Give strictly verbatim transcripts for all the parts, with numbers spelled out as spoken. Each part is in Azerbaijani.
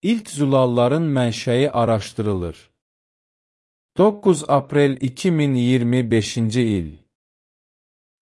İlk zulalların mənşəyi araşdırılır. doqquz aprel iki min iyirmi beşinci il.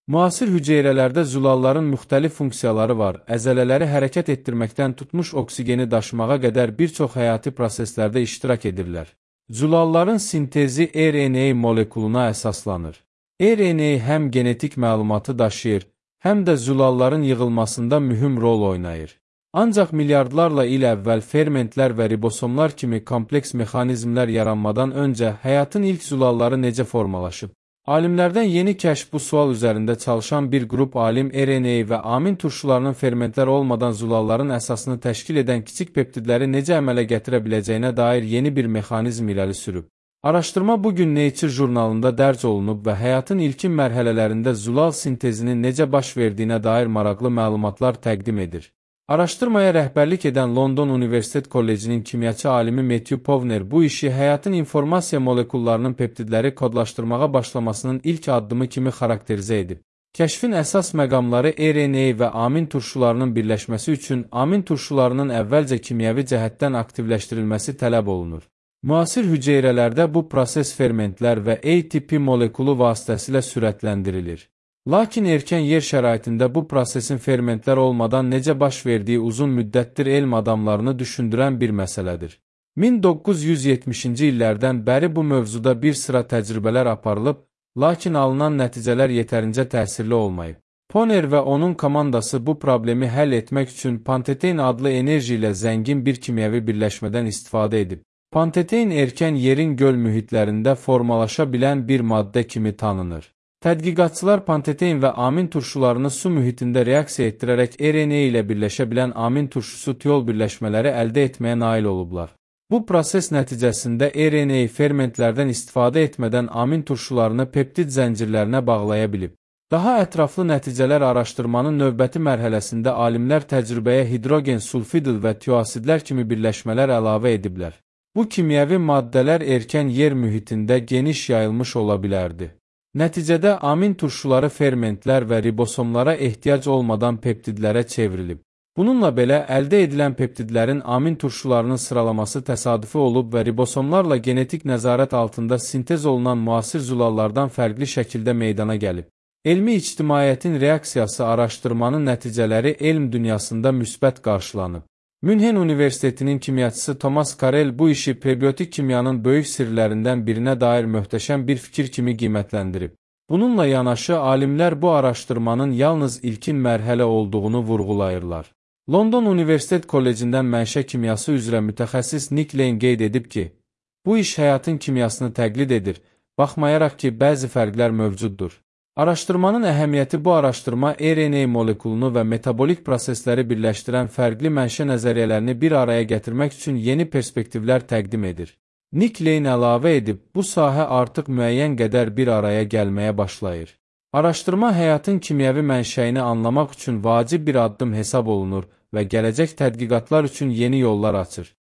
Müasir hüceyrələrdə zulalların müxtəlif funksiyaları var. Əzələləri hərəkət etdirməkdən tutmuş oksigeni daşımağa qədər bir çox həyati proseslərdə iştirak edirlər. Zulalların sintezi R N A molekuluna əsaslanır. R N A həm genetik məlumatı daşıyır, həm də zulalların yığılmasında mühüm rol oynayır. Ancaq milyardlarla il əvvəl fermentlər və ribosomlar kimi kompleks mexanizmlər yaranmadan öncə həyatın ilk zulalları necə formalaşıb? Alimlərdən yeni kəşf bu sual üzərində çalışan bir qrup alim R N A və amin turşularının fermentlər olmadan zulalların əsasını təşkil edən kiçik peptidləri necə əmələ gətirə biləcəyinə dair yeni bir mexanizm irəli sürüb. Araşdırma bugün Nature jurnalında dərc olunub və həyatın ilkin mərhələlərində zulal sintezinin necə baş verdiyinə dair maraqlı məlumatlar təqdim edir. Araşdırmaya rəhbərlik edən London Universitet Kollecinin kimyaçı alimi Matthew Povner bu işi həyatın informasiya molekullarının peptidləri kodlaşdırmağa başlamasının ilk addımı kimi xarakterizə edib. Kəşfin əsas məqamları R N A və amin turşularının birləşməsi üçün amin turşularının əvvəlcə kimyəvi cəhətdən aktivləşdirilməsi tələb olunur. Müasir hüceyrələrdə bu proses fermentlər və A T P molekulu vasitəsilə sürətləndirilir. Lakin erkən yer şəraitində bu prosesin fermentlər olmadan necə baş verdiyi uzun müddətdir elm adamlarını düşündürən bir məsələdir. min doqquz yüz yetmişinci illərdən bəri bu mövzuda bir sıra təcrübələr aparılıb, lakin alınan nəticələr yetərincə təsirli olmayıb. Poner və onun komandası bu problemi həll etmək üçün pantetein adlı enerji ilə zəngin bir kimyəvi birləşmədən istifadə edib. Pantetein erkən yerin göl mühitlərində formalaşa bilən bir maddə kimi tanınır. Tədqiqatçılar pantetein və amin turşularını su mühitində reaksiya etdirərək R N A ilə birləşə bilən amin turşusu tiol birləşmələri əldə etməyə nail olublar. Bu proses nəticəsində R N A fermentlərdən istifadə etmədən amin turşularını peptid zəncirlərinə bağlaya bilib. Daha ətraflı nəticələr araşdırmanın növbəti mərhələsində alimlər təcrübəyə hidrogen sulfidil və tioasidlər kimi birləşmələr əlavə ediblər. Bu kimyəvi maddələr erkən yer mühitində geniş yayılmış ola bilərdi. Nəticədə amin turşuları fermentlər və ribosomlara ehtiyac olmadan peptidlərə çevrilib. Bununla belə əldə edilən peptidlərin amin turşularının sıralaması təsadüfi olub və ribosomlarla genetik nəzarət altında sintez olunan müasir zulallardan fərqli şəkildə meydana gəlib. Elmi ictimaiyyətin reaksiyası araşdırmanın nəticələri elm dünyasında müsbət qarşılanıb. Münhen Universitetinin kimyaçısı Thomas Carell bu işi prebiotik kimyanın böyük sirlərindən birinə dair möhtəşəm bir fikir kimi qiymətləndirib. Bununla yanaşı, alimlər bu araşdırmanın yalnız ilkin mərhələ olduğunu vurğulayırlar. London Universitet Kollecindən mənşə kimyası üzrə mütəxəssis Nick Lane qeyd edib ki, bu iş həyatın kimyasını təqlid edir, baxmayaraq ki, bəzi fərqlər mövcuddur. Araşdırmanın əhəmiyyəti bu araşdırma R N A molekulunu və metabolik prosesləri birləşdirən fərqli mənşə nəzəriyyələrini bir araya gətirmək üçün yeni perspektivlər təqdim edir. Nick Lane əlavə edib, bu sahə artıq müəyyən qədər bir araya gəlməyə başlayır. Araşdırma həyatın kimyəvi mənşəyini anlamaq üçün vacib bir addım hesab olunur və gələcək tədqiqatlar üçün yeni yollar açır.